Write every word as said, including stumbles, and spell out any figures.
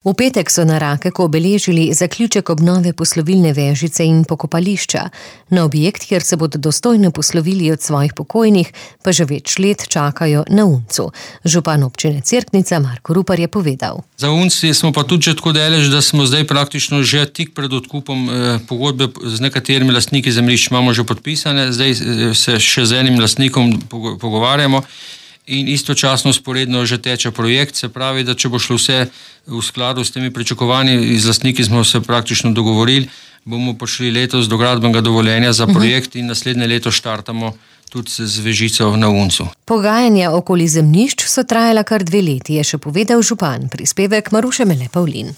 V petek so na Rakeku obeležili zaključek obnove poslovilne vežice in pokopališča. Na objekt, kjer se bodo dostojno poslovili od svojih pokojnih, pa že več let čakajo na Uncu. Župan občine Cerknica Marko Rupar je povedal. Za Unci smo pa tudi že tako daleč, da smo zdaj praktično že tik pred odkupom eh, pogodbe z nekaterimi lastniki zemljišč imamo že podpisane, zdaj eh, se še z enim lastnikom pogovarjamo. In istočasno sporedno že teče projekt, se pravi, da če bo šlo vse v skladu s temi pričakovanji, z lastniki smo se praktično dogovorili, bomo prišli letos do gradbenega dovoljenja za projekt in naslednje leto štartamo tudi z vežico na Uncu. Pogajanja okoli zemljišč so trajala kar dve leti, je še povedal župan. Prispevek Maruše Mele Pavlin.